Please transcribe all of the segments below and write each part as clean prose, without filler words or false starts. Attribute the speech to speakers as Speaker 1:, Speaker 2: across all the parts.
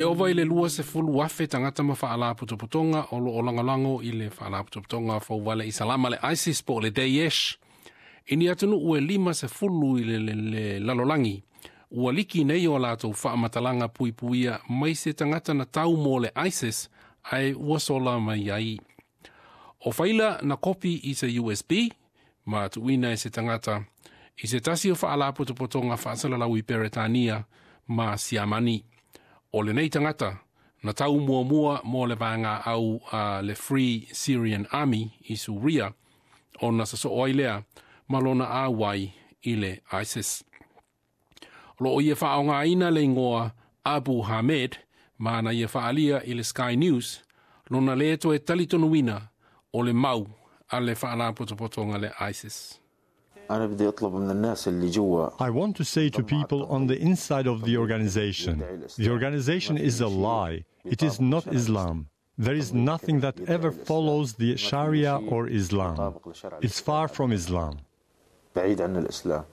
Speaker 1: E ova i le 20,000 tagata ma faalapotopotoga o loo lagolago i le faalapotopotoga fouvale Isalama le ISIS po o le Daesh i ni atunuu e 50 i le lalolagi ua liki nei o latou faamatalaga puipuia mai se tagata na tau mo le ISIS ae ua sola mai ai. O faila na kopi i se USB ma tuuina e se tagata i se tasi o faalapotopotoga faasalalau i Peretania ma Siamani. O lenei tagata na tau muamua mo le vaega au a le Free Syrian Army i Suria ona sasoo ai lea ma lona auai i le ISIS. O loo ia faaaogaina le igoa Abu Hamed ma na ia faaalia i le Sky News lona le toe talitonuina o le mau a le faalapotopotoga le ISIS.
Speaker 2: أنا بدي أطلب من الناس اللي جوا.
Speaker 3: I want to say to people on the inside of the organization is a lie. It is not Islam. There is nothing that ever follows the Sharia or Islam. It's far from Islam.
Speaker 2: بعيد عن الإسلام.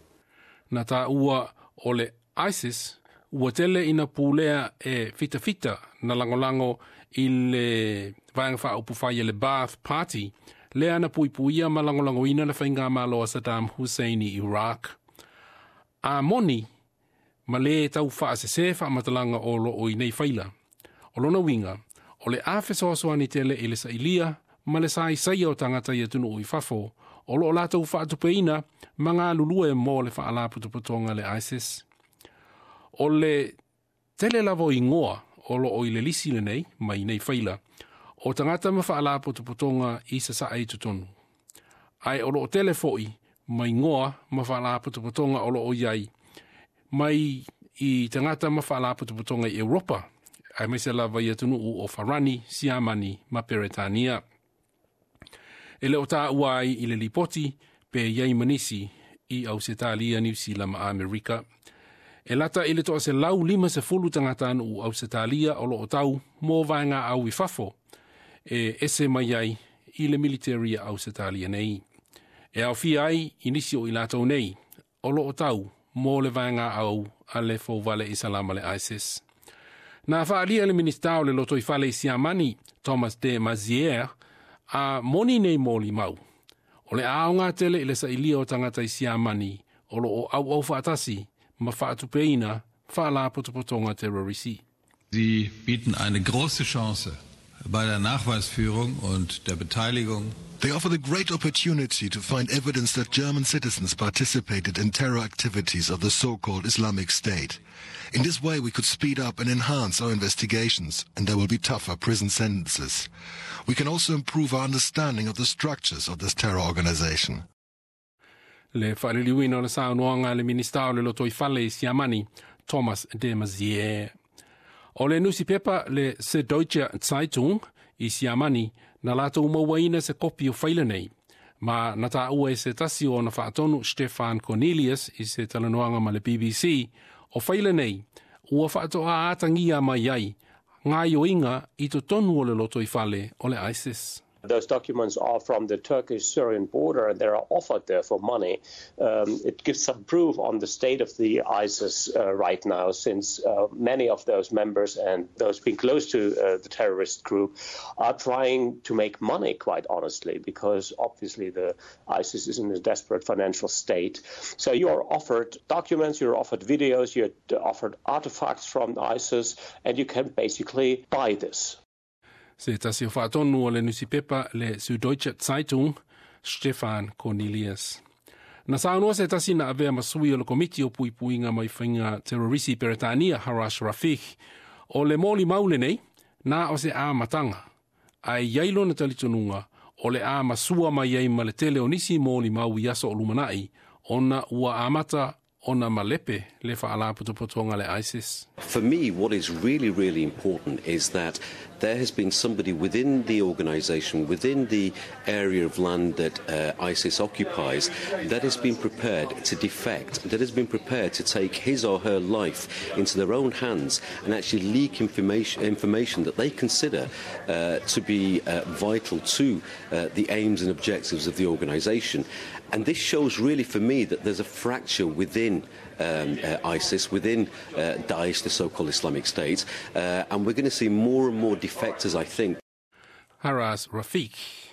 Speaker 1: Na taua o le ISIS ua tele ina pulea e fitafita na lagolago i le Vaega Faaupufai le Baath Party lea na puipuia ma lagolagoina le faigamalo a Saddam Hussein i Iraq. A moni ma le tau faasesē faamatalaga o loo i nei faila. O lona uiga, o le a fesoasoani tele i le sailia ma le saisaia o tagata i atunuu i fafo o loo latou faatupeina ma galulue mo le faalapotopotoga le ISIS. O le tele lava o igoa o loo i le lisi lenei mai nei faila o tagata ma faalapotopotoga i sasae i totonu. Ae o loo tele foi ma igoa ma faalapotopotoga o loo iai mai i tagata ma faalapotopotoga i Europa, aemaise lava i atunuu o Farani, Siamani ma Peretania. E le o taua ai i le lipoti pe iai ma nisi i Ausetalia, Niu Sila ma Amerika. E lata i le 150 tagatanuu Ausetalia o loo tau mo vaega au i fafo e ese mai ai i le military a Ausetalia nei. E aofia ai i nisi o i latou nei o loo tau mo le vaega au a le fouvale Isalama le ISIS. Na faalia le Minista o le Lotoifale i Siamani, Thomas de Maizière, a moni nei molimau. O le aoga tele i le sailia o tagata i Siamani o loo auau faatasi ma faatupeina faalapotopotoga terrorisi.
Speaker 4: Sie bieten eine große Chance bei der Nachweisführung und der Beteiligung.
Speaker 5: They offer the great opportunity to find evidence that German citizens participated in terror activities of the so-called Islamic State. In this way, we could speed up and enhance our investigations, and there will be tougher prison sentences. We can also improve our understanding of the structures of this terror organization.
Speaker 1: Le faaliliuina o le saunoaga a le Minista o le Lotoifale i Siamani, Thomas de Maizière. O le nusipepa le Süddeutsche Zeitung i Siamani na latou mauaina se kopi o faila nei. Ma na taua e se tasi o ona faatonu Stefan Cornelius i se talanoaga ma le BBC o faila nei ua faatoa atagia mai ai gaioiga i totonu o le lotoifale o le ISIS.
Speaker 6: Those documents are from the Turkish-Syrian border and they are offered there for money. It gives some proof on the state of the ISIS right now, since many of those members and those being close to the terrorist group are trying to make money, quite honestly, because obviously the ISIS is in a desperate financial state. So you are offered documents, you're offered videos, you're offered artifacts from ISIS, and you can basically buy this.
Speaker 1: Se tasi o faatonu o le nusipepa le Süddeutsche Zeitung, Stefan Cornelius. Na saunoa se tasi na avea ma sui o le komiti o puipuiga mai faiga terrorisi Peretania Harash Rafiq o le molimau lenei na o se amataga ae iai lona talitonuga o le a masua mai ai ma le tele o nisi molimau i aso o lumanai ona ua amata ona malepe le faalapotopotoga le ISIS.
Speaker 7: For me, what is really, really important is that There has been somebody within the organization, within the area of land that ISIS occupies, that has been prepared to defect, that has been prepared to take his or her life into their own hands and actually leak information that they consider to be vital to the aims and objectives of the organization. And this shows really for me that there's a fracture within ISIS, within Daesh, the so-called Islamic State, and we're going to see more and more defectors, I think.
Speaker 1: Haras Rafiq.